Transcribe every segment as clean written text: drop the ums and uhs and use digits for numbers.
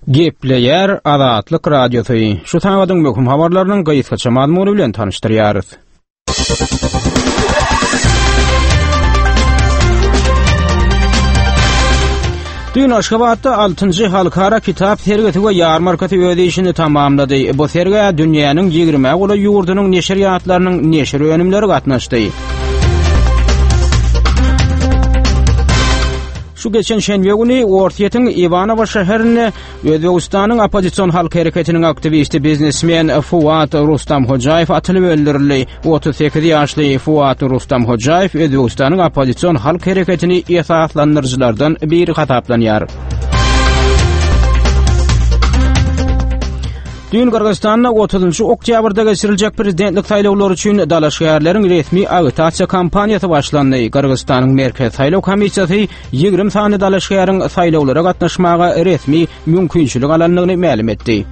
Gepleýär Azatlyk Radiosy. Şu sagadyň möhüm habarlarynyň gysgaça mazmuny bilen tanyşdyrýarys. Düýn Aşgabatda 6-njy halkara kitap sergisi we ýarmarkasy öz işini tamamlady. Bu sergä dünýäniň 20-ä golaý ýurdunyň neşirýatlarynyň neşir önümleri gatnaşdy. Şu geçen şenbe güni Orsýetiň Iwanowo şäherinde Özbegistanyň oppozision halk hereketiniň aktiwisti biznesmen Fuat Rustamhojaýew atylyp öldürildi. 38 ýaşly Fuat Rustamhojaýew Özbegistanyň oppozision halk hereketini esaslandyryjylardan biri hasaplanýar. Düýn Gyrgyzystanda 30-njy oktýabrda geçiriljek prezidentlik saýlawlary üçin dalaşgärleriň resmi agitasiýa kampaniýasy başlandy. Gyrgyzystanyň Merkezi saýlaw komissiýasy 20 sany dalaşgäriň saýlawlara gatnaşmaga resmi mümkinçilik alandygyny mälim etdi.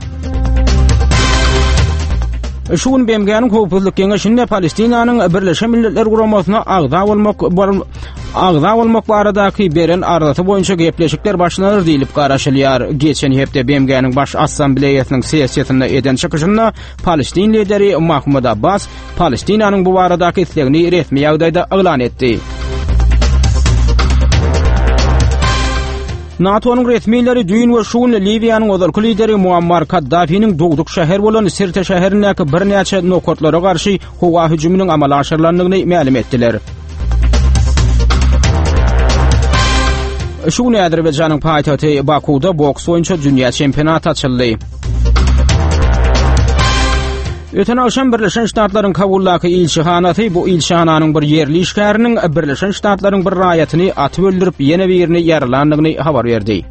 Şu gün BMG-niň Howpsuzlyk Geňeşinde Palestinanyň Birleşen Milletler Guramasyna agza bolmak agza bolmak baradaky beren arzasy boýunça gepleşikler başlanar diýlip garaşylýar. Geçen hepde BMG-niň Baş Assambleýasynyň sessiýasynda eden çykyşynda Palestin lideri Mahmud Abbas Palestinanyň bu baradaky islegini resmi ýagdaýda yglan etdi. NATO-nyň resmileri düýn we şu gün Liwiýanyň ozalky lideri Muammar Kaddafiniň dogduk şäheri bolan Sirte şäherindäki birnäçe nokatlara garşy howa hüjüminiň amala aşyrylandygyny mälim etdiler. Şu gün Azerbaýjanyň paýtagty Bakuwda boks boýunça dünýä çempionaty açyldy. Öten agşam Birleşen Ştatlaryň Kabuldaky ilçihanasy bu ilçihananyň bir ýerli işgäriniň Birleşen Ştatlaryň bir raýatyny atyp öldürip, ýene birini ýaralandygyny habar berdi.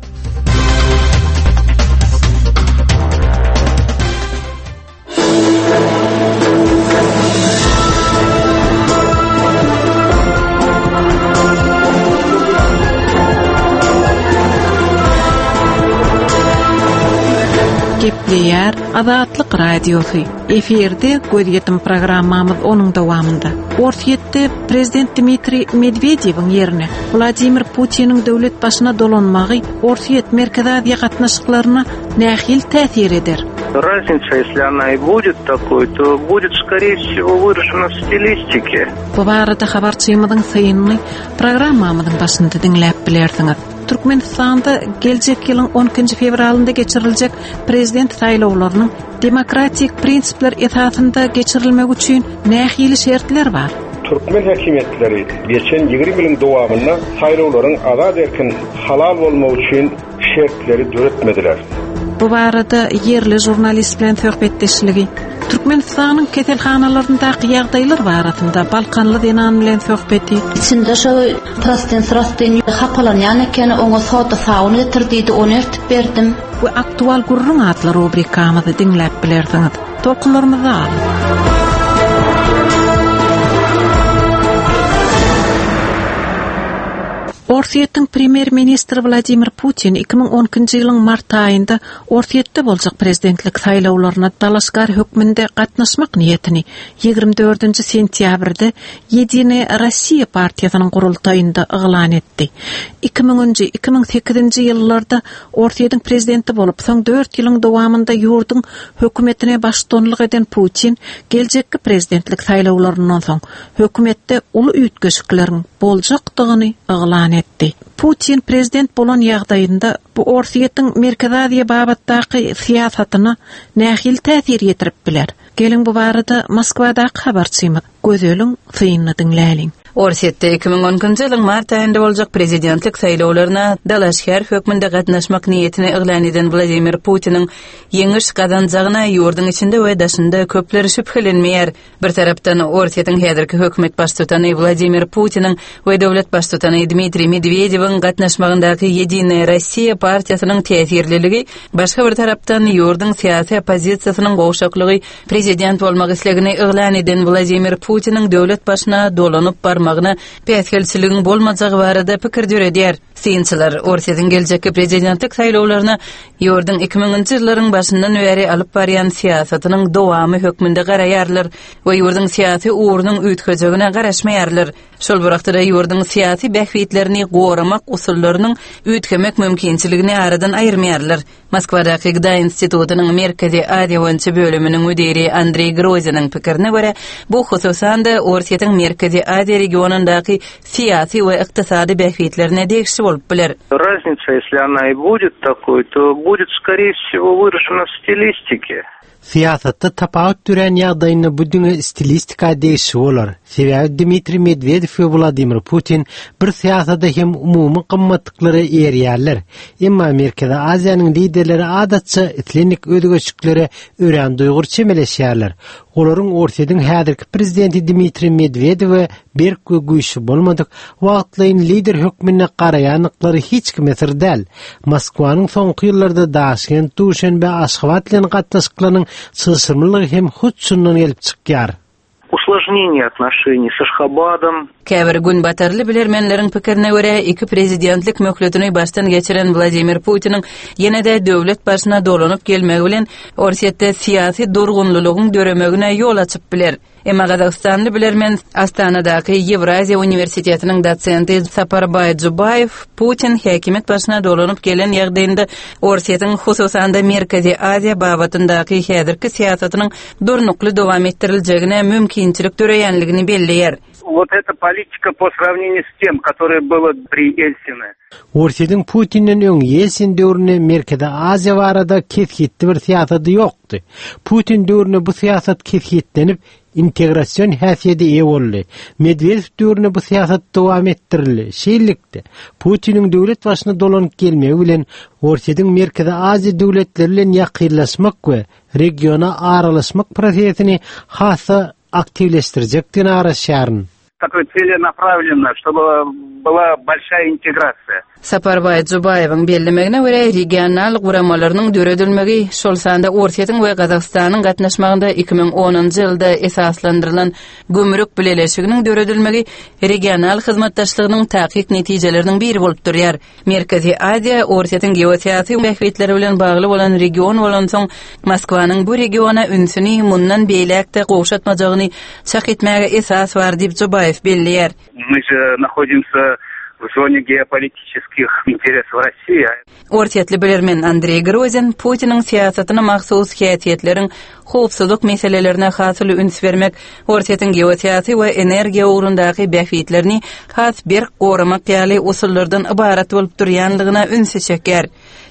Gepleýär Azatlyk Radiosy. Efirde gözýetim programmamyz onuň dowamynda. Orsýetde prezident Dmitriý Medwedewiň ýerine Wladimir Putiniň döwlet başyna dolanmagy Orsýet Merkezi Aziýa gatnaşyklaryna nähili täsir eder? Raznica, если она и будет такой, то будет, скорее всего, выражена в стилистике. Bu barada habarçymyzyň synyny programmamyzyň başynda diňläp bilersiňiz. Türkmenistanda geljek ýylyň 12-nji fewralynda geçiriljek prezident saýlawlarynyň demokratik prinsipler esasynda geçirilmegi üçin nähili şertler bar? Türkmen häkimiýetleri geçen 20 ýylyň dowamynda saýlawlaryň azat-erkin, halal bolmagy üçin şertleri döretmediler. Bu barada ýerli žurnalist bilen söhbetdeşligi, Türkmenistanyň keselhanalaryndaky ýagdaýlar barasynda balkanly zenan bilen söhbeti, Içinde şo prostyn-srostyn hapalanýan ekeni, oňa soda sabyn getir diýdi, ony ertip berdim. We Aktual gürrüň atly rubrikamyzy diňläp bilersiňiz. Tolkunlarymyzda galyň! Orsýetiň premýer-ministri Wladimir Putin 2012-nji ýylyň mart aýynda Orsýetde boljak prezidentlik saýlawlaryna dalaşgär hökmünde gatnaşmak niýetini 24-nji sentýabrda Ýedinaýa Rossiýa partiýasynyň gurultaýynda yglan etdi. Iki müňünji, 2008-nji ýyllarda Orsýetiň prezidenti bolup, soň dört ýylyň dowamynda ýurduň hökümetine baştutanlyk eden Putin geljekki prezidentlik saýlawlaryndan soň hökümetde uly üýtgeşikleriň boljakdygyny yglan etdi. Putin prezident bolan ýagdaýynda bu Orsýetiň Merkezi Aziýa babatdaky syýasatyna nähili täsir ýetirip biler? Geliň bu barada Moskwadaky habarçymyz Gözeliň synyny diňläliň. Orsýetde 2012-nji ýylyň mart aýynda boljak prezidentlik saýlawlaryna dalaşgär hökmünde gatnaşmak niýetini yglan eden Wladimir Putiniň ýeňiş gazanjagyna ýurduň içinde we daşynda köpler şübhelenmeýär. Bir tarapdan, Orsýetiň häzirki hökümet baştutany Wladimir Putiniň we döwlet baştutany Dmitriý Medwedewiň gatnaşmagyndaky Ýedinaýa Rossiýa partiýasynyň täsirliligi, başga bir tarapdan, ýurduň syýasy oppozisiýasynyň gowşaklygy prezident bolmak islegini yglan eden Wladimir Putiniň döwlet başyna dolanyp barmagyna päsgelçiligiň bolmajagy barada pikir döredýär. Synçylar Orsýetiň geljekki prezidentlik saýlawlaryna ýurduň iki müňünji ýyllaryň başyndan bäri alyp barýan syýasatynyň dowamy hökmünde garaýarlar we ýurduň syýasy ugrunyň üýtgejegine garaşmaýarlar. Şol bir wagtda-da ýurduň syýasy bähbitlerini goramak usullarynyň üýtgemek mümkinçiligini aradan aýyrmaýarlar. Moskwadaky GDA institutynyň Merkezi Aziýa boýunça bölüminiň müdiri Andreý Groziniň pikirine görä, bu hususan-da Orsýetiň Merkezi Aziýa regionyndaky syýasy we ykdysady bähbitlerine degişli bolup biler. Raznica, ýesli ona i budet takoý, to budet skoree wsego wyražena w stilistike. Syýasatda tapawut dörän ýagdaýynda bu diňe stilistika degişli bolar. Sebäbi Dmitriý Medwedew we Wladimir Putin bir syýasata hem umumy gymmatlyklara eýerýärler. Emma Merkezi Aziýanyň liderleri adatça islendik özgerişliklere örän duýgur çemeleşýärler. Olaryň Orsýetiň häzirki prezidenti Dmitriý Medwedewe berk we güýçli bolmadyk wagtlaýyn lider hökmünde garaýandyklary hiç kime syr däl. Moskwanyň soňky ýyllarda Daşkent, Duşenbe, Aşgabat bilen gatnaşyklarynyň çylşyrymlylygy hem hut şundan gelip çykýar. Usložneniýe otnoşeniý s Aşhabadom. Käbir günbatarly bilermenleriň pikirine görä, iki prezidentlik möhletini başdan geçiren Wladimir Putiniň ýene-de döwlet başyna dolanyp gelmegi bilen Orsýetde syýasy durgunlylygyň döremegine ýol açyp biler. Emma gazagystanly bilermen, Astanadaky Ýewraziýa uniwersitetiniň dosenti Saparbaý Jubaýew Putin häkimiýet başyna dolanyp gelen ýagdaýynda Orsýetiň, hususan-da Merkezi Aziýa babatyndaky häzirki syýasatynyň durnukly dowam etdiriljegine mümkinçilik döreýänligini belleýär. Wot eta politika po srawneniýu s tem, kotoroe bylo pri Ýeltsine. Orsýetiň Putinden öň Ýeltsin döwründe Merkezi Aziýa barada kesgitli bir syýasady ýokdy. Putin döwründe bu syýasat kesgitlenip, integrasion häsiýede eýe boldy. Medwedew döwründe bu syýasat dowam etdirildi. Şeýlelikde, Putiniň döwlet başyna dolanyp gelmegi bilen Orsýetiň Merkezi Aziýa döwletleri bilen ýakynlaşmak we regiona aralaşmak prosesini has-da aktiwleşdirjekdigine garaşýaryn. Takoý tselenapravlennaya, ştoby byla bolşaýa integrasiýa. Saparbaý Jubaýewiň bellemegine görä, regional guramalarynyň döredilmegi, şol sanda Orsýetiň we Gazagystanyň gatnaşmagynda 2010-njy ýylda esaslandyrylan Gümrük bileleşiginiň döredilmegi regional hyzmatdaşlygynyň takyk netijeleriniň biri bolup durýar. Merkezi Aziýa Orsýetiň geosyýasy bähbitleri bilen bagly bolan region bolansoň, Moskwanyň bu regiona ünsüni mundan beýläk-de gowşatmajagyny çak etmäge esas bar diýip, Jubaýew belleýär. My že nahodimsya w zone geopolitiçeskih interesow Rossiýi. Orsýetli bilermen Andreý Grozin Putiniň syýasatyna mahsus häsiýetleriň howpsuzlyk meselelerine has uly üns bermek, Orsýetiň geosyýasy we energiýa ugrundaky bähbitlerini has berk goramak ýaly usullardan ybarat bolup durýanlygyna ünsi çekýär.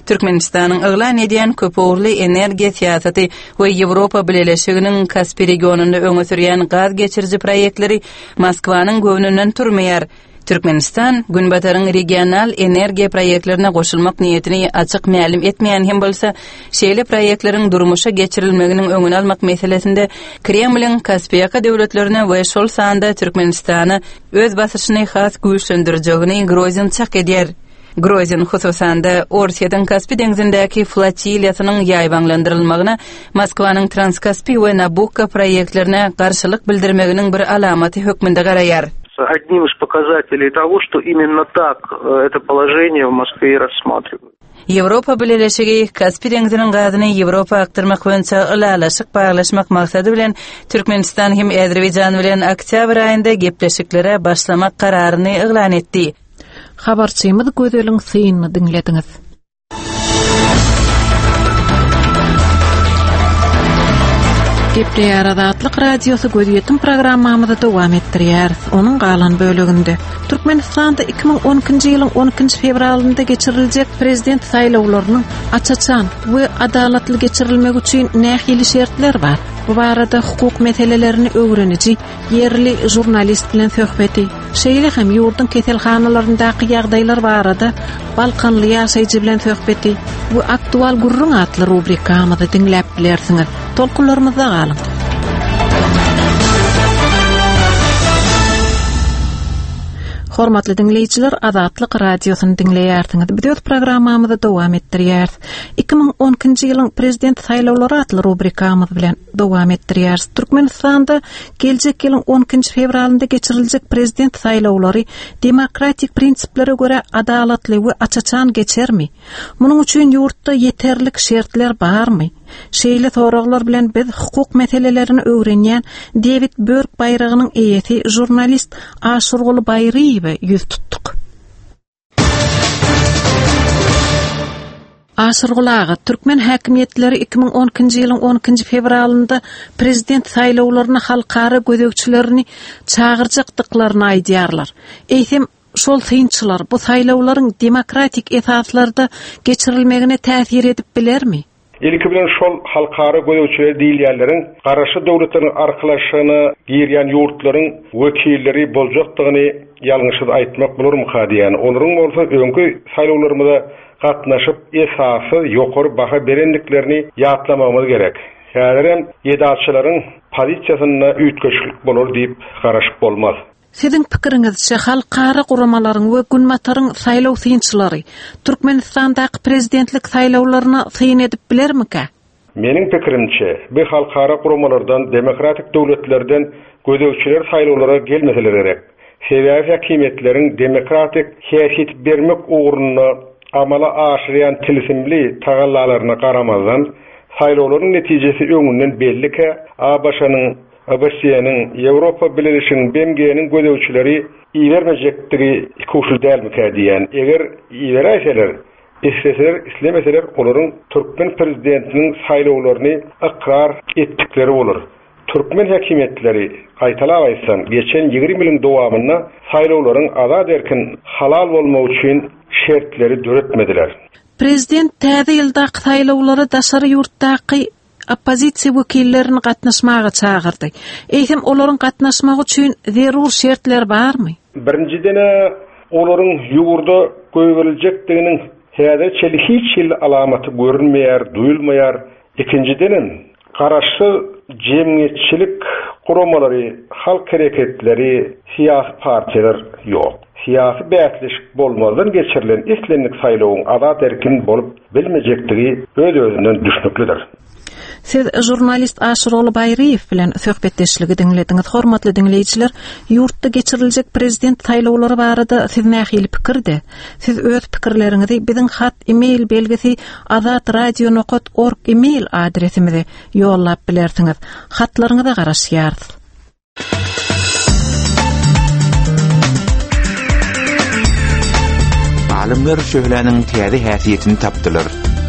Türkmenistanyň yglan edýän köpugurly energiýa syýasaty we Ýewropa Bileleşiginiň Kaspi regionynda öňe sürýän gaz geçiriji proýektleri Moskwanyň göwnünden turmaýar. Türkmenistan Günbataryň regional energiýa proýektlerine goşulmak niýetini açyk mälim etmeýän hem bolsa, şeýle proýektleriň durmuşa geçirilmeginiň öňüni almak meselesinde Kremliň Kaspiýaka döwletlerine we şol sanda Türkmenistana öz basyşyny has güýçlendirjegini Grozin çak edýär. Grozin, hususan-da, Orsýetiň Kaspi deňzindäki flotiliýasynyň ýaýbaňlandyrylmagyna Moskwanyň Transkaspi we Nabukko proýektlerine garşylyk bildirmeginiň bir alamaty hökmünde garaýar. Одним из показателей того, что именно так это положение в Moskve и рассматривают. Ýewropa Bileleşigi Kaspi deňziniň gazyny Ýewropa akdyrmak boýunça ylalaşyk baglaşmak maksady bilen Türkmenistan hem Azerbaýjan bilen oktýabr aýynda gepleşiklere başlamak kararyny yglan etdi. Habarçymyz Gözeliň synyny diňlediňiz. Gepleýär Azatlyk Radiosy gözýetim programmamyzy dowam etdirýäris. Onuň galan böleginde Türkmenistanda 2012-nji ýylyň 12-nji fewralynda geçiriljek prezident saýlawlarynyň aç-açan we adalatly geçirilmegi üçin nähili şertler bar? Bu barada hukuk meselelerini öwreniji ýerli žurnalist bilen söhbeti, şeýle hem ýurduň keselhanalaryndaky ýagdaýlar barada balkanly ýaşaýjy bilen söhbeti we Aktual gürrüň atly rubrikamyzy diňläp bilersiňiz. Tolkunlarymyzda galyň! Hormatly diňleýjiler, Azatlyk Radiosyny diňleýärsiňiz. Biz öz programmamyzy dowam etdirýäris. 2012-nji ýylyň Prezident saýlawlary atly rubrikamyz bilen dowam etdirýäris. Türkmenistanda geljek ýylyň on ikinji fewralynda geçiriljek prezident saýlawlary demokratik prinsiplere görä adalatly we aç-açan geçermi? Munuň üçin ýurtda ýeterlik şertler barmy? Şeýle soraglar bilen biz hukuk meselelerini öwrenýän Dewid Börk baýragynyň eýesi žurnalist Aşyrguly Baýryýewe ýüz tutduk. Aşyrguly aga, türkmen häkimiýetleri 2012-nji ýylyň on ikinji fewralynda prezident saýlawlaryna halkara gözegçilerini çagyrjakdyklaryny aýdýarlar. Eýsem, şol synçylar bu saýlawlaryň demokratik esaslarda geçirilmegine täsir edip bilermi? Ilki bilen şol halkara gözegçileri diýilýänleriň Garaşsyz Döwletleriň Arkalaşygyna girýän ýurtlaryň wekilleri boljakdygyny ýalňyşsyz aýtmak bolarmyka diýýän. Olaryň bolsa öňki saýlawlarymyza gatnaşyp esassyz ýokary baha berendiklerini ýatlamagymyz gerek. Häzirem ýedaçylaryň pozisiýasynda üýtgeşiklik bolar diýip garaşyp bolmaz. Siziň pikiriňizçe, halkara guramalaryň we Günbataryň saýlaw synçylary Türkmenistandaky prezidentlik saýlawlaryna syn edip bilermikä? Meniň pikirimçe, bu halkara guramalardan, demokratik döwletlerden gözegçiler saýlawlara gelmeseler gerek. Sebäbi häkimiýetleriň demokratik häsiýet bermek ugrunda amala aşyrýan tilsimli tagallalaryna garamazdan, saýlawlaryň netijesi öňünden bellikä, ABŞ-nyň ABŞ-nyň, Ýewropa Bileleşiginiň, BMG-niň gözegçileri ibermejekdigi ikuçly dälmikä diýýän. Eger iberäýseler, isleseler, islemeseler olaryň türkmen prezidentiniň saýlawlaryny ykrar etdikleri bolar. Türkmen häkimiýetleri, gaýtalap aýtsam, geçen 20 ýylyň dowamynda saýlawlaryň azat-erkin, halal bolmagy üçin şertleri döretmediler. Prezident täze ýyldaky saýlawlara daşary ýurtdaky oppozisiýa wekillerini gatnaşmaga çagyrdy. Eýsem, olaryň gatnaşmagy üçin zerur şertler barmy? Birinjiden-ä, olaryň ýurda goýberiljekdiginiň häzire çenli hiç hili alamaty görünmeýär, duýulmaýar. Ikinjidenem, garaşsyz jemgyýetçilik guramalary, halk hereketleri, syýasy partiýalar ýok. Syýasy bäsleşik bolmazdan geçirilen islendik saýlawyň azat-erkin bolup bilmejekdigi öz-özünden düşnüklidir. Siz žurnalist Aşyrguly Baýryýew bilen söhbetdeşligi diňlediňiz. Hormatly diňleýjiler, ýurtda geçiriljek prezident saýlawlary barada siz nähili pikirde? Siz öz pikirleriňizi biziň hat e-mail belgisi azatradio nokat org e-mail adresimize ýollap bilersiňiz. Hatlaryňyza garaşýarys. Alymlar şöhläniň täze häsiýetini tapdylar.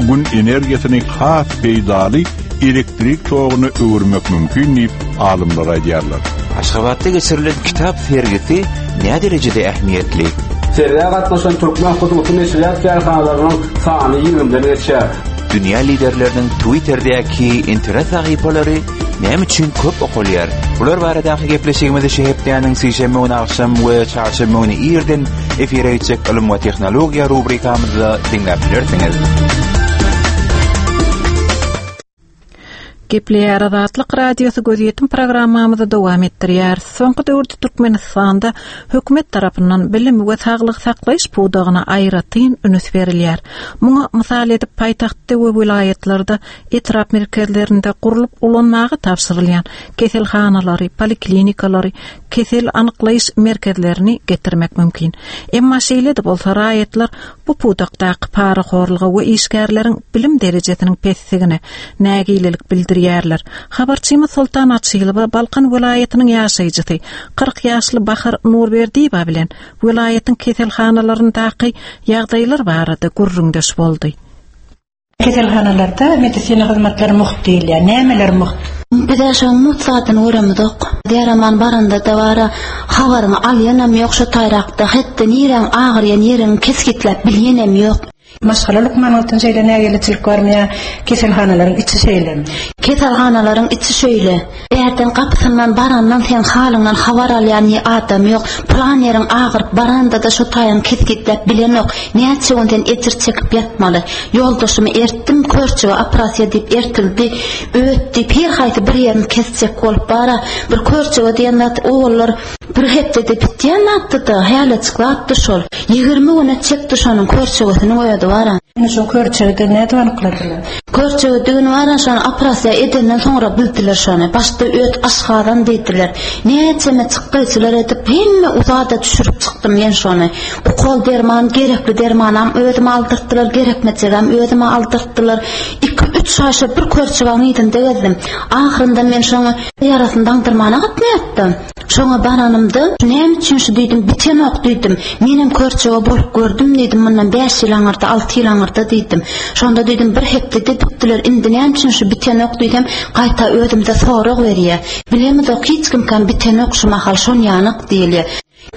Gün energiýasyny has peýdaly elektrik toguna öwürmek mümkin diýip, alymlar aýdýarlar. Aşgabatda geçirilen kitap sergisi näderejede ähmiýetli? Sergä gatnaşan türkmen hususy neşirýat kärhanalarynyň sany ýigrimiden geçýär. Dünýä liderleriniň Twitterdäki internet sahypalary Näme üçin köp okalýar? Bular baradaky gepleşigimizi şu hepdäniň sişenbe güni agşam we çarşenbe güni irden efire geçjek Ylym we tehnologiýa rubrikamyzda diňläp bilersiňiz. Gepleýär Azatlyk Radiosy gözýetim programmamyzy dowam etdirýär. Soňky döwürde Türkmenistanda hökümet tarapyndan bilim we saglygy saklaýyş pudagyna aýratyn üns berilýär. Muňa mysal edip paýtagtda we welaýatlarda etrap merkezlerinde gurlup ulanmaga tabşyrylýan keselhanalary, poliklinikalary, kesel anyklaýyş merkezlerini getirmek mümkin. Emma şeýle-de bolsa raýatlar bu pudakdaky parahorluga we işgärleriň bilim derejesiniň pesdigine nägilelik bildirýärler. Habarçymyz Soltan Açylowa Balkan welaýatynyň ýaşaýjysy, 40 ýaşly Bahar Nurberdiýewa bilen welaýatyň keselhanalaryndaky ýagdaýlar barada gürrüňdeş boldy. Keselhanalarda medisina hyzmatlary mugt diýilýär. Nämeler mugt? Biz-ä şoň mugt zadyny göremizok. Deraman baranda-da bar-a, habaryňy alýanam ýok şo taýrakda, hetde niräň agyrýan ýeriňi kesgitläp bilýänem ýok. Maşgala lukmanyňyzdan şeýle nägileçilik barmy ýa keselhanalaryň içi şeýlemi? Keselhanalaryň içi şeýle. Bärden gapysyndan barandan seň halyňdan habar alýan adam ýok. Pylan ýeriň agyryp baranda-da şo taýyňy kesgitläp bilenok. Näçe gün sen ejir çekip ýatmaly. Ýoldaşymy ertdim, körçege operasiýa diýip ertildi. Öt diýip her haýsy bir ýerini kesjek bolup bar-a. Bir körçege diýen zat owallar bir hepdede bitýän zatdy-da, hälejik zatdy şol. 20 güne çekdi şonuň körçegesiniň özi bar-a. Indi şoň körçegidigini nädip anykladylar? Körçegidigini bar-a şony operasiýa edenden soňra bildiler şony. Başda öt aşgazan diýdiler. Näçeme çykdaýjylar edip hemme uzada düşürip çykdym men şony. Ukol derman, gerekli dermanam özüme aldyrtdylar, gerekmejegem özüme aldyrtdylar. Iki-üç. Üç aý şo bir körçegaň yzynda gezdim. Ahyrynda men şoňa ýarasyny daňdyrmana gatnaýatdym. Şoňa baranymda, näme üçin şu diýdim, bitenok diýdim. Menem körçege bolup gördüm diýdim, mundan bäş ýyl aňyrda, alty ýyl aňyrda diýdim. Şonda diýdim, bir hepdede bitdiler, indi näme üçin şu bitenok diýsem, gaýta özümize sorag berýär. Bilemizok, hiç kimkäm bitenok şu mahal, şon ýanak diýilýär.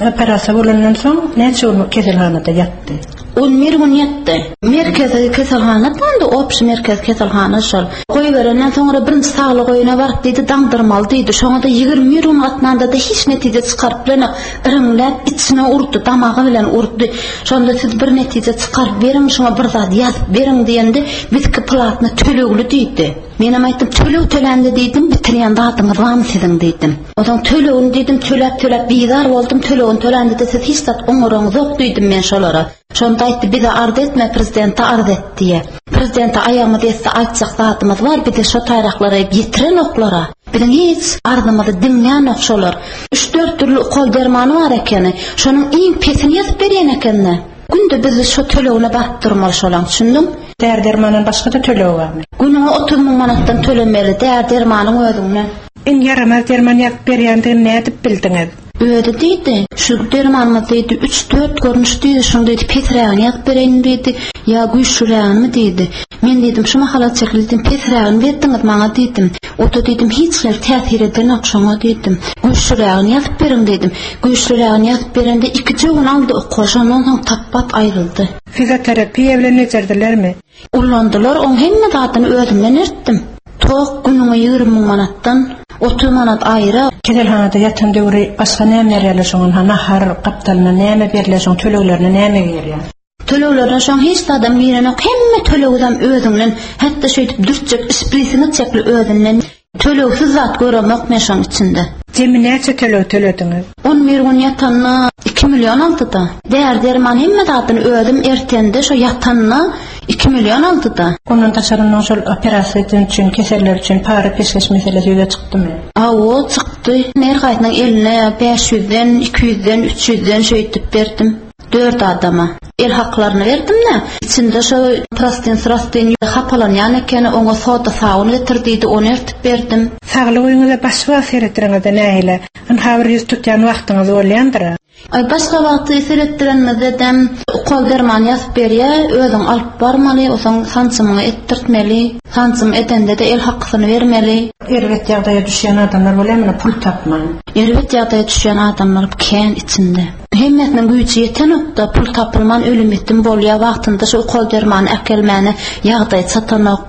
Operasiýa bolandan soň näçe gün keselhanada ýatdy? On bir gün ýatdy. Merkezi keselhana boldy, obşi merkezi keselhana şol. Goýberenden soňra birinji saglyk öýüne baryp diýdi, daňdyrmaly diýdi. Şoňa-da 21 gün gatnanda-da hiç netije çykaryp bilenok. Iriňläp içine urdy, damagy bilen urdy. Şonda siz bir netije çykaryp beriň, şoňa bir zat ýazyp beriň diýende, bizki platny tölegli diýdi. Menem aýtdym, töleg tölände diýdim, bitirýän zadyňyz barmy siziň diýdim. Onsoň tölegini diýdim, töläp-töläp bizar boldum, tölegini tölände-de siz hiç zat oňaraňyzok diýdim men şolara. Şonda aýtdy, bize arz etme, prezidente arz et diýe. Prezidente aýagymyz ýetse aýtjak zadymyz bar, bizi şo taýraklara ýetirenoklar-a. Biziň hiç arzymyzy diňlänok şolar. Üç-dört dürli ukol dermany bar ekeni. Şonuň iň pesini ýazyp berýän ekeni. Günde biz şo tölegine baryp durmaly şolaň, düşündiň? Däri-dermandan başga-da tölegi barmy? Günüňe 30 müň manatdan tölemeli, däri-dermanyň özüňden. Iň ýaramaz derman ýazyp berýändigini nädip bildiňiz? Özi diýdi, şu dermanymyz diýdi, üç-dört görnüş diýdi, şuň diýdi, pesrägini ýazyp bereýinmi diýdi, ýa güýçlürägini diýdi. Men diýdim, şu mahala çekil diýdim, pesrägini berdiňiz maňa diýdim. O-da diýdim, hiç hili täsir edenok şoňa diýdim. Güýçlürägini ýazyp beriň diýdim. Güýçlürägini ýazyp berende ikije gün aldy ukol, şondan soň tapbat aýryldy. Fizioterapiýa bilen bejerdilermi? Ullandylar, oň hemme zadyny özümden ertdim. Tok günüňe 20 müň manatdan, 30 manat aýra. Keselhanada ýatan döwri başga näme berýärler şoňa, ynha nahar gapdalynda näme berilýär şoň töleglerine näme girýär? Töleglerine şoň hiç zadam girenok, hemme tölegizem özüňden, hatda şeýdip dürtjek şprisiňi çekli özünden. Tölegsiz zat göremok men şoň içinde. Jemi näçe töleg tölediňiz? 11 gün ýatanda 2 million aldy-da. Däri-derman hemme zadyny özüm ertende şo ýatanda 2 million aldy-da. Ondan daşary onuň şol operasiýa eden üçin, keseller üçin para-peşgeş meselesi ýüze çykdymy? Hawa, çykdy. Her haýsynyň eline 500-den, 200-den, 300-den şeýdip berdim. Dört adama. El haklaryny berdim-de, içinde şo prostyn-srostyn hapalanýan ekeni, oňa soda sabyn getir diýdi, ony ertip berdim. Saglyk öýüňize başga wagt seretdireňizde nähili? Ynha bir ýüz tutýan wagtyňyz bolýandyr-a? Aý, başga wagty seretdirenimizde-dem ukol derman ýazyp berýä, özüň alyp barmaly, osoň sanjymyňy etdirtmeli, sanjym edende-de el hakysyny bermeli. Erbet ýagdaýa düşýän adamlar bolýarmy pul tapman? Erbet ýagdaýa düşýän adamlar kän içinde. Hemmesiniň güýji ýetenokda, pul tapylman ölüm-ýitim bolýar, wagtynda şu ukol-dermany äkelmäne ýagdaý çatanok.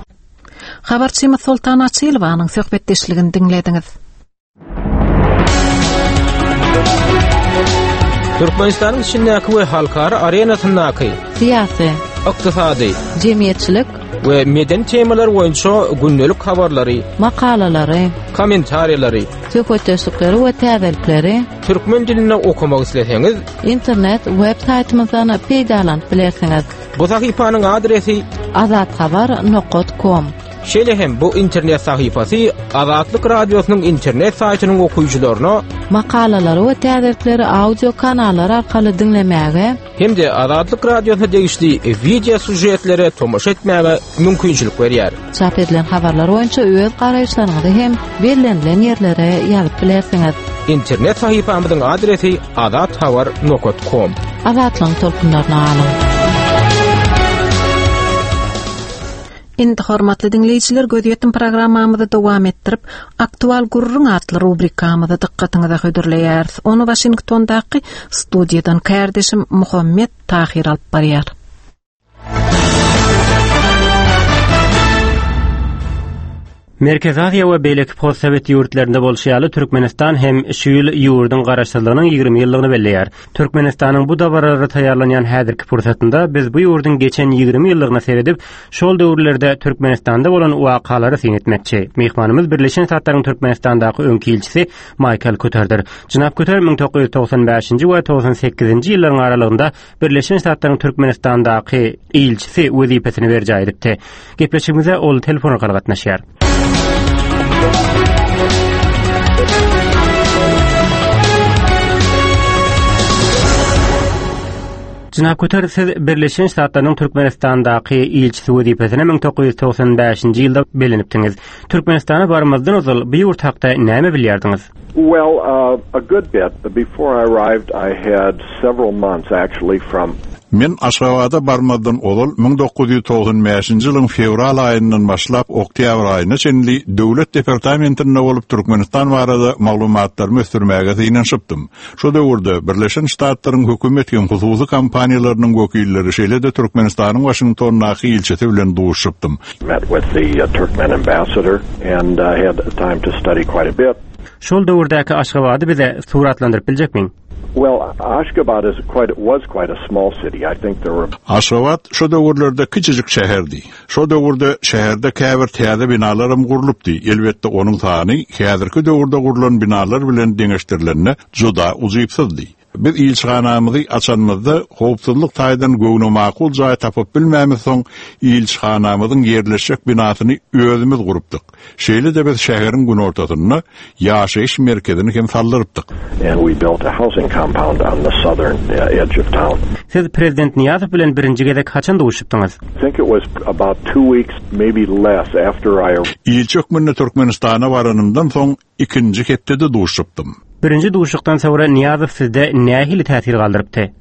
Habarçymyz Soltan Açylowanyň söhbetdeşligini diňlediňiz. Türkmenistanyň içindäki we halkara arenasyndaky syýasy, ykdysady, jemgyýetçilik we medeni temalar boýunça gündelik habarlary, makalalary, kommentariýalary, söhbetdeşlikleri we täzelikleri Türkmen dilinde okamak isleseňiz, internet web saýtymyzdan peýdalanyp bilersiňiz. Bu sahypanyň adresi azathabar.com. Şeýle hem bu internet sahypasy Azatlyk Radiosynyň internet saýtynyň okyjylaryna makalalary we täzelikleri audio kanallar arkaly diňlemäge hem-de Azatlyk Radiosyna degişli wideo sýužetlere tomaşa etmäge mümkinçilik berýär. Çap edilen habarlar boýunça öz garaýyşlaryňyzy hem bellenilen ýerlere ýazyp bilersiňiz. Internet sahypamyzyň adresi azathabar.com. Azatlygyň tolkunlaryna galyň. Indi hormatly diňleýjiler gözýetim programmamyzy dowam etdirip, Aktual gürrüň atly rubrikamyzy dykgatyňyza hödürleýäris. Ony Waşingtondaky studiýadan kärdeşim Muhammet Tahyr alyp barýar. Merkezi Aziýa we beýleki postsowet ýurtlarynda bolşy ýaly, Türkmenistan hem şu ýyl ýurduň Garaşsyzlygynyň 20 ýyllygyny belleýär. Türkmenistanyň bu dabaralara taýýarlanýan häzirki pursatynda biz bu ýurduň geçen 20 ýyllygyna seredip, şol döwürlerde Türkmenistanda bolan wakalara syn etmekçi. Myhmanymyz Birleşen Ştatlaryň Türkmenistandaky öňki ilçisi Maýkl Kuterdir. Jenap Kuter 1995-nji we 98-nji ýyllaryň aralygynda Birleşen Ştatlaryň Türkmenistandaky ilçisi wezipesini berjaý edipdi. Gepleşigimize ol telefon arkaly gatnaşýar. Jenap Kuter, siz Birleşen Ştatlarynyň Türkmenistandaky ilçisi wezipesine 1995-nji ýylda bellenipdiňiz. Türkmenistana barmazdan ozal bu ýurt hakda näme bilýärdiňiz? Well, uh, a good bit. Before I arrived, I had several months actually from Men Aşgabada barmazdan ozal 1995-nji ýylyň fewral aýyndan başlap oktýabr aýyna çenli Döwlet departamentinde bolup Türkmenistan barada maglumatlarymy ösdürmäge synanyşypdym. Şo döwürde Birleşen Ştatlaryň hökümet hem hususy kompaniýalarynyň wekilleri, şeýle-de Türkmenistanyň Waşingtondaky ilçisi bilen duşuşypdym. Met with the Turkmen ambassador and had time to study quite a bit. Şol döwürdäki Aşgabady bize suratlandyryp biljekmiň? Well, Ashgabat is quite was quite a small city. I think there were Aşgabat şo döwürlerde kiçijik şäherdi. Şo döwürde şäherde käbir täze binalaram gurlupdy, elbetde onuň sany häzirki döwürde gurlan binalar bilen deňeşdirilende juda ujypsyzdy. Biz ilçihanamyzy açanymyzda howpsuzlyk taýdan göwnemakul jaý tapyp bilmämizsoň ilçihanamyzyň ýerleşjek binasyny özümiz gurupdyk. Şeýle-de biz şäheriň günortasynda ýaşaýyş merkezini hem saldyrypdyk. And we built a housing compound on the southern edge of town. Siz Prezident Nyýazow bilen birinji gezek haçan duşupdyňyz? I think it was about two weeks, maybe less, after I. Ilçi hökmünde Türkmenistana baranymdan soň ikinji hepdede duşupdym. Birinji duşuşykdan soňra Nyýazow sizde nähili täsir galdyrypdy?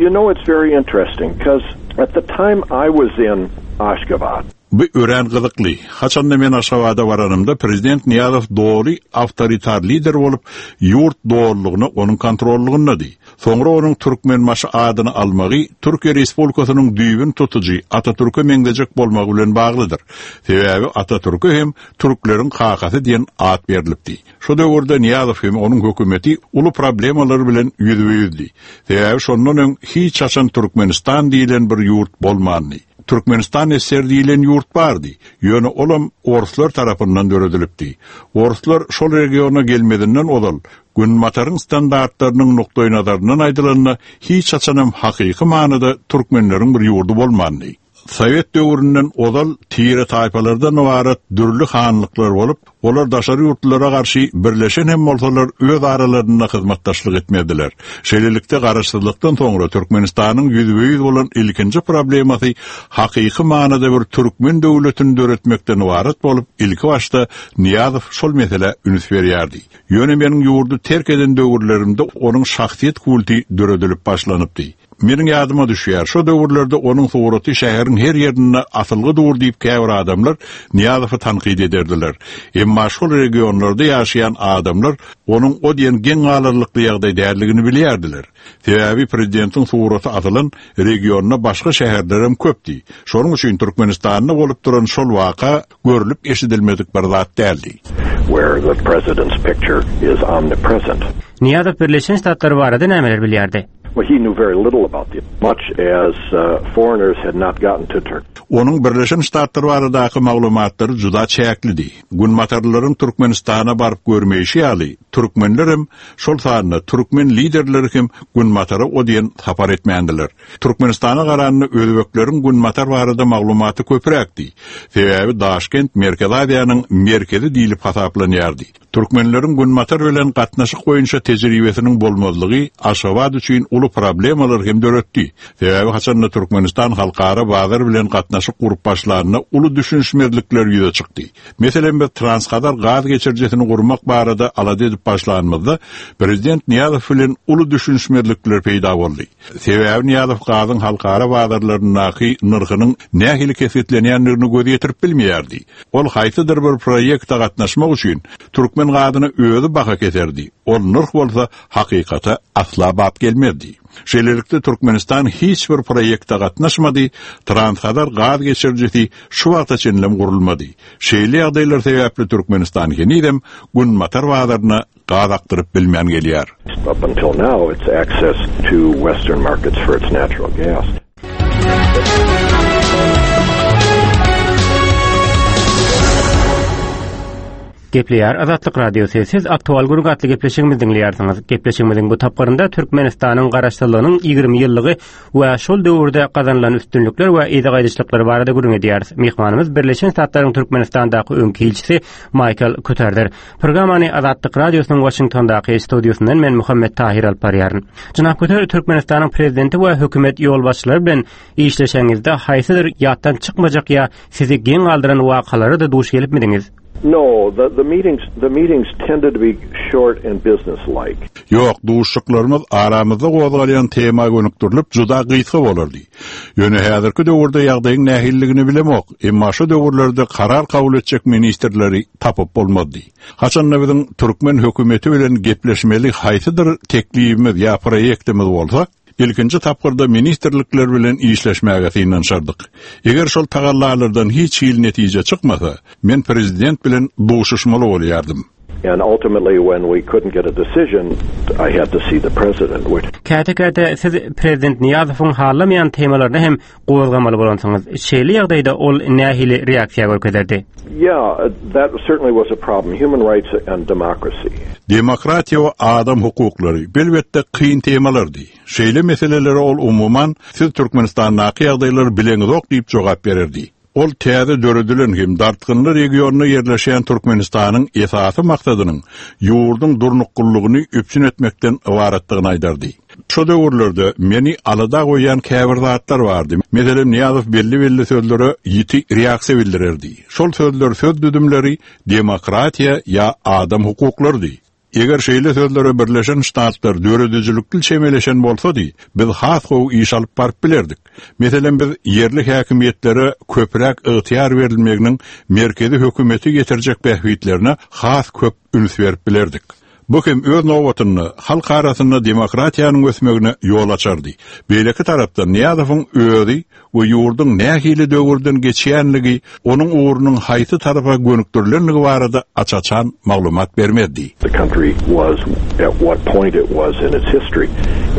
You know it's very interesting, 'cause at the time I was in Ashgabat. Bu örän gyzykly. Haçanda men Aşgabada baranymda prezident Nyýazow doly awtoritar lider bolup, ýurt dolulygyna onuň kontrollygyndady. Soňra onuň Türkmenbaşy adyny almagy Türkiýe Respublikasynyň düýbüni tutujy Atatürke meňzejek bolmagy bilen baglydyr. Sebäbi Atatürke hem türkleriň kakasy diýen at berlipdi. Şo döwürde Nyýazow hem onuň hökümeti uly problemalar bilen ýüzbe-ýüzdi. Sebäbi şondan öň hiç haçan Türkmenistan diýlen bir ýurt bolmandy. Türkmenistan SSR diýlen ýurt bardy, ýöne olam orslar tarapyndan döredilipdi. Orslar şol regiona gelmezinden ozal, Günbataryň standartlarynyň nukdaýnazaryndan aýdylanda, hiç haçanam hakyky manyda türkmenleriň bir ýurdy bolmandy. Sowet döwründen ozal tire-taýpalardan ybarat dürli hanlyklar bolup, olar daşary ýurtlulara garşy birleşen hem bolsalar öz aralarynda hyzmatdaşlyk etmezdiler. Şeýlelikde garaşsyzlykdan soňra Türkmenistanyň ýüzbe-ýüz bolan ilkinji problemasy hakyky manyda bir türkmen döwletini döretmekden ybarat bolup, ilkibaşda Nyýazow şol meselä üns berýärdi. Ýöne meniň ýurdy terk eden döwürlerimde onuň şahsyýet kulty döredilip başlanypdy. Meniň ýadyma düşýär, şo döwürlerde onuň suraty şäheriň her ýerinde asylgy dur diýip käbir adamlar Nyýazowy tankyt ederdiler. Emma şol regionlarda ýaşaýan adamlar onuň o diýen geň galarlykly ýagdaý däldigini bilýärdiler. Sebäbi prezidentiň suraty asylan regionda başga şäherlerem köpdi. Şonuň üçin Türkmenistanda bolup duran şol waka görlüp-eşidilmedik bir zat däldi. Where the president's picture is omnipresent. Nyýazow Birleşen Ştatlar barada nämeler bilýärdi? Well, he knew very little about the much as foreigners had not gotten to Turkey. Onuň Birleşen Ştatlar baradaky maglumatlary juda çäklidi. Günbatarlylaryň Türkmenistana baryp görmeýşi ýaly, türkmenlerem, şol sanda türkmen liderleri hem Günbatara o diýen sapar etmändiler. Türkmenistana garanda özbekleriň Günbatar barada maglumaty köpräkdi. Sebäbi Daşkent Merkezi Aziýanyň merkezi diýlip hasaplanýardy. Türkmenleriň Günbatar bilen gatnaşyk boýunça tejribesiniň bolmazlygy Aşgabat üçin uly problemalar hem döretdi. Sebäbi haçanda Türkmenistan halkara bazar bilen gatnaşyk gurup başlanda uly düşünişmezlikler ýüze çykdy. Meselem biz Transhazar gaz geçirijisini gurmak barada alada edip başlanymyzda prezident Nyýazow bilen uly düşünişmezlikler peýda boldy. Sebäbi Nyýazow gazyň halkara bazarlaryndaky nyrhynyň nähili kesgitlenýändigine göz ýetirip bilmeýärdi. Ol haýsydyr bir proýekte gatnaşmak üçin türkmen gazyna özi baha keserdi, ol nyrh bolsa hakykata asla bap gelmezdi. Şeýlelikde Türkmenistan hiç bir proýekte gatnaşmady, Transhazar gaz geçirijisi şu wagta çenlem gurulmady. Şeýle ýagdaýlar sebäpli Türkmenistan henizem Günbatar bazaryna gaz akdyryp bilmän gelýär. Up until now its access to western markets for its natural gas. Gepleýär Azatlyk Radiosy. Siz Aktual gürrüň atly gepleşigimizi diňleýärsiňiz. Gepleşigimiziň bu tapgyrynda Türkmenistanyň Garaşsyzlygynyň 20 ýyllygy we şol döwürde gazanylan üstünlikler we yza gaýdyşlyklar barada gürrüň edýäris. Myhmanymyz Birleşen Ştatlaryň Türkmenistandaky öňki ilçisi Maýkl Kuterdir. Programmany Azatlyk Radiosynyň Waşingtondaky studiýasyndan men Muhammet Tahir alyp barýaryn. Jenap Kuter, Türkmenistanyň prezidenti we hökümet ýolbaşçylary bilen işleşeňizde haýsydyr ýatdan çykmajak ýa sizi geň galdyran wakalara-da duş gelipmidiňiz? No, the, the meetings, the meetings tended to be short and businesslike. Ýok, duşuşyklarymyz aramyzda gozgalýan tema gönükdirilip juda gysga bolardy. Ýöne häzirki döwürde ýagdaýyň nähililigini bilemok, emma şo döwürlerde karar kabul etjek ministrleri tapyp bolmazdy. Haçanda biziň türkmen hökümeti bilen gepleşmeli haýsydyr teklibimiz ýa proýektimiz bolsa, Ilkinji tapgyrda ministrlikler bilen işleşmäge synanyşardyk. Eger şol tagallalardan hiç hili netije çykmasa, men prezident bilen duşuşmaly bolýardym. And ultimately when we couldn't get a decision, I had to see the president, which. Käte-käte siz prezident Nyýazowyň halamaýan temalaryny hem gozgamaly bolansyňyz. Şeýle ýagdaýda ol nähili reaksiýa görkezerdi? Yeah, that certainly was a problem. Human rights and democracy. Demokratiýa we adam hukuklary, belbetde, kyn temalardy. Şeýle meselelere ol umuman, siz Türkmenistandaky ýagdaýlary bileňizok diýip jogap bererdi. Ol täze döredilen hem dartgynly regionda ýerleşýän Türkmenistanyň esasy maksadynyň ýurduň durnuklylygyny üpjün etmekden ybaratdygyny aýdardy. Şo döwürlerde meni alada goýýan käbir zatlar bardy. Meselem, Nyýazow belli-belli sözlere ýiti reaksiýa bildirerdi. Şol sözler söz düzümleri demokratiýa ýa adam hukuklarydy. Eger şeýle sözlere Birleşen Ştatlar döredijilikli çemeleşen bolsady, biz has gowy iş alyp baryp bilerdik. Meselem, biz ýerli häkimiýetlere köpräk ygtyýar berilmeginiň merkezi hökümete getirjek bähbitlerine has köp üns berip bilerdik. Bu hem öz nobatynda halk arasynda demokratiýanyň ösmegine ýol açardy. Beýleki tarapdan Nyýazowyň özi we ýurduň nähili döwürden geçýänligi, onuň ugrunyň haýsy tarapa gönükdirilenligi barada aç-açan maglumat bermezdi. The country was, at what point it was in its history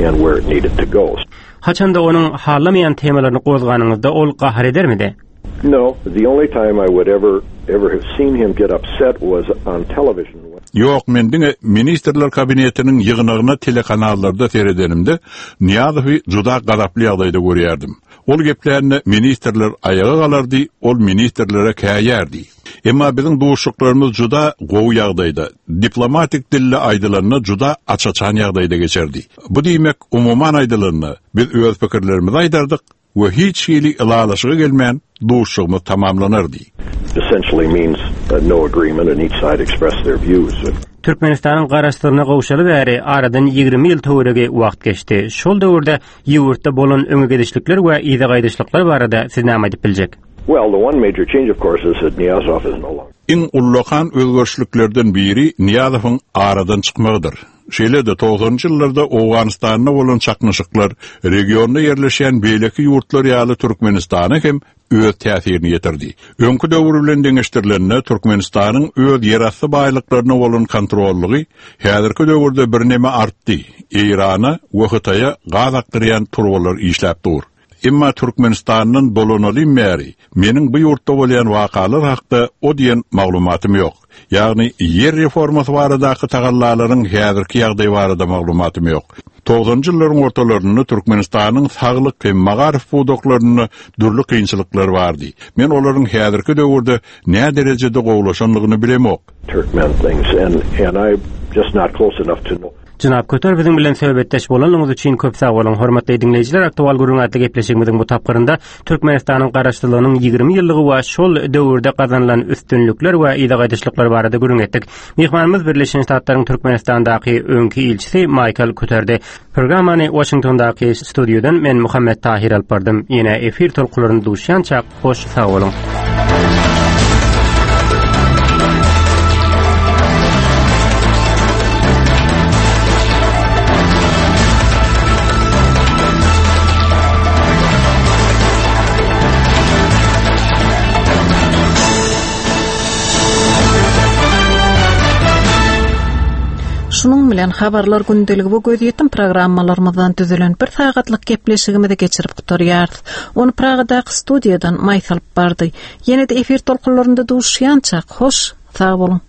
and where it needed to go. Haçanda onuň halamaýan temalaryny gozganyňyzda ol gahar edermidi? No, the only time I would ever ever have seen him get upset was on television. Ýok, men diňe Ministrler Kabinetiniň ýygnagyna telekanallarda seredenimde Nyýazowy juda gazaply ýagdaýda görýärdim. Ol geplände ministrler aýaga galardy, ol ministrlere käýärdi. Emma biziň duşuşyklarymyz juda gowy ýagdaýda, diplomatik dilde aýdylanda juda aç-açan ýagdaýda geçerdi. Bu diýmek, umuman aýdylanda, biz öz pikirlerimizi aýdardyk, we hiç hili ylalaşyga gelmän duşuşygymyz tamamlanardy. Essentially means no agreement and each side expressed their views. Türkmenistanyň Garaşsyzlygyna gowşaly bäri aradan 20 ýyl töweregi wagt geçdi. Şol döwürde ýurtda bolan öňe gidişlikler we yza gaýdyşlyklar barada siz näme aýdyp biljek? Well, the one major change of course is that Nyýazow is no longer. Iň ullakan özgerişliklerden biri Nyýazowyň aradan çykmagydyr. Şeýle-de, togsanynjy ýyllarda Owganystanda bolan çaknyşyklar regionda ýerleşýän beýleki ýurtlar ýaly Türkmenistana hem öz täsirini ýetirdi. Öňki döwür bilen deňeşdirilende, Türkmenistanyň öz ýerasty baýlyklaryna bolan kontrollygy häzirki döwürde birneme artdy, Eýrana we Hytaýa gaz akdyrýan turbalar işläp dur. Emma Türkmenistandan dolanalym bäri meniň bu ýurtda bolýan wakalar hakda o diýen maglumatym ýok. Ýagny ýer reformasy baradaky tagallalaryň häzirki ýagdaýy barada maglumatym ýok. Togsanynjy ýyllaryň ortalarynda Türkmenistanyň saglyk hem magaryf pudaklarynda dürli kynçylyklar bardy. Men olaryň häzirki döwürde näderejede gowulaşandygyny bilemok. Turkmen things and and I just not close enough to know. Jenap Köter biziň bilen söhbetdeş bolanlygyňyz üçin köp sag boluň. Hormatly diňleýjiler, Aktual gürrüň atly gepleşigimiziň bu tapgyrynda Türkmenistanyň Garaşsyzlygynyň 20 ýyllygy we şol döwürde gazanylan üstünlikler we yza gaýdyşlyklar barada gürrüň etdik. Myhmanymyz Birleşen Ştatlaryň Türkmenistandaky öňki ilçisi Maýkl Köterdi. Programmany Waşingtondaky studiýadan men Muhammet Tahir alyp bardym. Ýene efir tolkunlarynda duşýançak, hoş sag boluň. Şunuň bilen Habarlar gündeligi we gözýetim programmalarymyzdan düzülen bir sagatlyk gepleşigimizi geçirip gutarýarys. Ony Pragadaky studiýadan Maýsa alyp bardy. Ýene-de efir tolkunlarynda duşýançak, hoş, sag boluň!